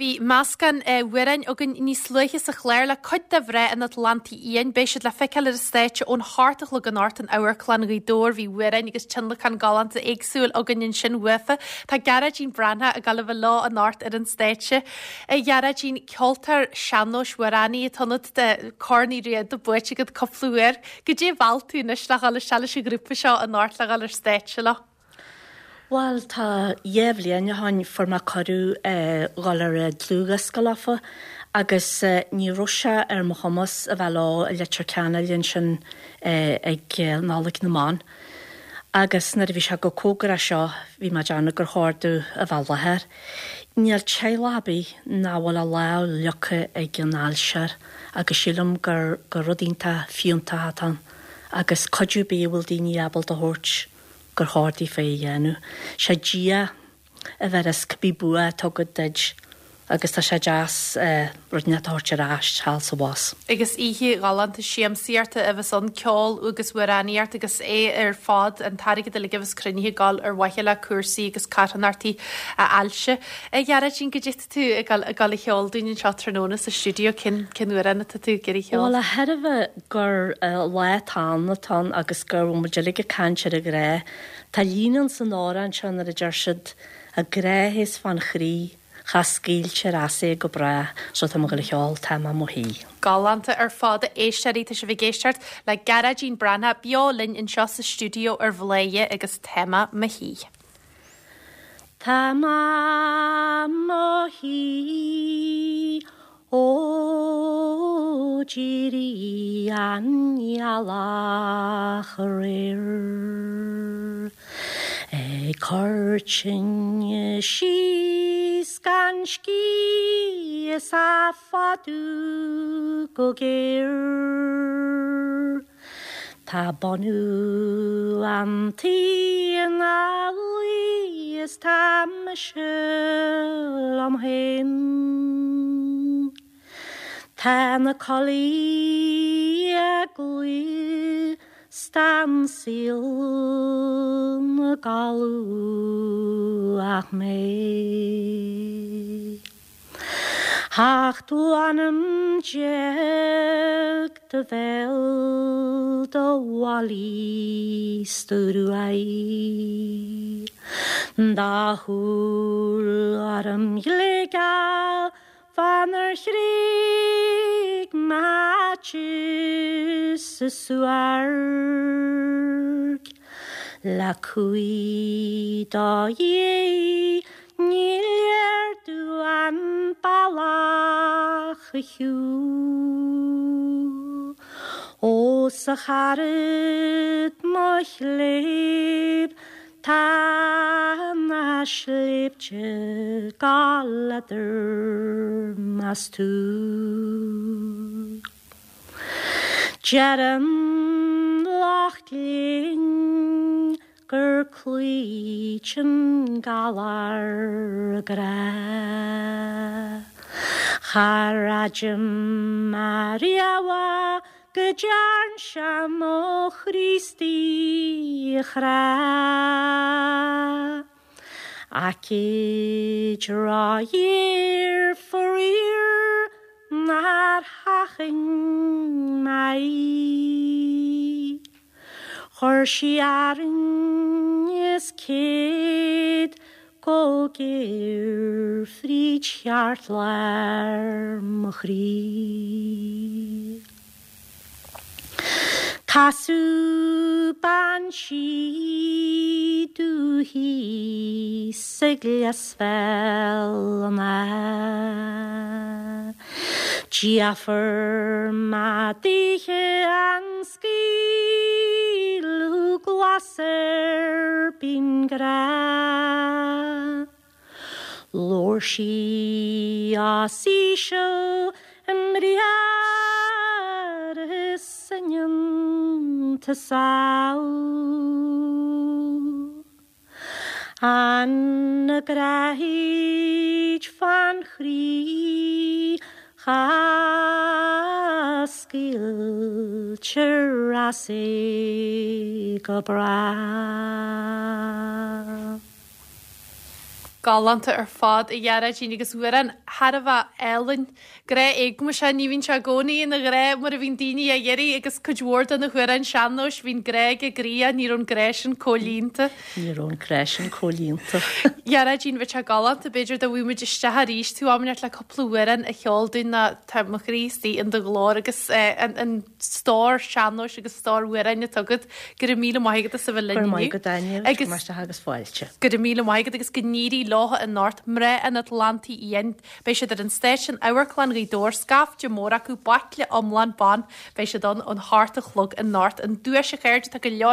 Bhí meascán amhráin againn níos luaithe sa chlár le cuid de mhná an Atlantaigh Fhiáin. Beidh siad le feiceáil ar an stáitse ón hocht a chlog anocht in Amharclann Ghaoth Dobhair. Bhí amhráin agus tionlacan galánta éagsúil againn ansin uafa. Tá Gearóidín Breathnach ag dul a bheith leo anocht ar an stáitse. A Ghearóidín, ceoltóir sean-nóis amhránaí atá ionat, tá Corn Uí Riada buaite agat cúpla uair. Goidé a mheall tú anois le dhul isteach leis an ghrúpa seo anocht le dhul ar stáitse leo? Bhuel, tá dheich bhliain ó shoin fuair mé cuireadh dhul ar an dlúthdhiosca leofa agus ní raibh sé ar mo chumas a bheith leo i Leitir Ceanainn ansin ag Nollaig na mBan. Agus nuair a bhí sé chomh cóngarach seo bhí mé ag déanamh gur chóir domh a bheith i láthair. Níl teaghlach ar bith nach bhfuil a lámh fhliuchta ag an ailse agus sílim gur gur rud iontach fiúntach atá ann agus cuidiú ar bith a bhfuil daoine ábalta a thabhairt gur chóir daofa é a dhéanamh. Sé Dia a bheireas cibé bua atá agat duid agus tá sé deas rud inteacht a thabhairt ar ais thall 's abhus. Agus oíche ghalánta siamsaíochta a bheas ann, ceol agus amhránaíocht agus é ar fad, an t-airgead uilig a bheas cruinnithe ag dul ar mhaithe le cúrsaí agus carthanachtaí ailse. A Ghearóidín, goidé tá tú ag dul ag dul a cheol dúinn anseo tráthnóna sa stiúideo, cén cén amhrán atá tú ag iarraidh a cheol? Bhuel, de thairbhe gur lá atá ann atá ann agus go bhfuil muid uilig ag caint ar an ghrá, tá líne ann san amhrán seo nuair a deir siad, 'A grá théas fán chroí, cha scaoiltear as é go bráth, so tá mé ag dul a cheol 'Tá mé 'mo shuí. Galánta ar fad, a éisteoirí, tá sibh ag éisteacht le Gearóidín Breathnach beo linn anseo sa stiúideo ar Bhladhaire agus Tá mé 'mo shuí. Tá mé 'mo shuí ó d'éirigh an ghealach aréir Ag cur tine síos gan scíth is á fadú go géar. Tá bunú an tí ina luí is tá mise liom féin. Tá na coiligh ag glaoch 's tá an saol 'na gcodladh ach mé. Ocht mh'anam do bhéal do mhalaí 's do ghruaidh. Do shúil ghorm ghléigeal fá nar thréig m'áit sa suairc. Le cumhaidh do dhiaidh Ní léir domh an bealach a shiúl. Ó 's a charad mo chléibh tá na sléibhte ag gabháil eadar mé 's tú. Deireann lucht léinn gur cloíteann galar grá. Char aidhm ariamh go dtearn sé mo Chríostaí a chrá. Aicíd róghéar faraor nár sheachain mé í. Chuir sí Árainn is céad go géar fríd cheartlár mo chroí. Casadh bean sí domh thíos i gClios Bhéal an Átha. D'fhiafraigh mé daoithe an scaoileadh glas ar binn grá. Labhair sí os íseal i mbriathra is in iontas An ghráid fán chroí cha scaoiltear as é go bráth. Galánta ar fad, a Ghearóidín, agus amhrán thar a bheith álainn. Grá éagmaise, ní bhíonn sé i gcónaí ina ghrá mar a bhíonn daoine á iarraidh agus cuid mhór de na hamhráin sean-nóis, bhíonn grá ag an gcroí ach ní raibh an grá sin comhlíonta. Ní raibh an grá sin comhlíonta. Ghearóidín, bheadh sé galánta, b'fhéidir dá bhfaigheadh muid isteach arís tú am inteacht le cúpla amhrán a cheol dúinn nó tá mo chroí istigh in do ghlór agus an stór sean-nóis agus stór amhráin atá agat. Go raibh míle maith agat as a bheith linn inniu. Go raibh maith agat Áine, agus maith agus fáilte. Go raibh míle maith agat agus go n-éirí leo anocht, Mná an Atlantaigh Fhiáin. Beidh siad ar an stáitse in Amharclann Ghaoth Dobhair, scaifte mór acu, baicle iomlán ban. Beidh siad ann ón hocht a chlog anocht. An duais a chairde, tá go leor.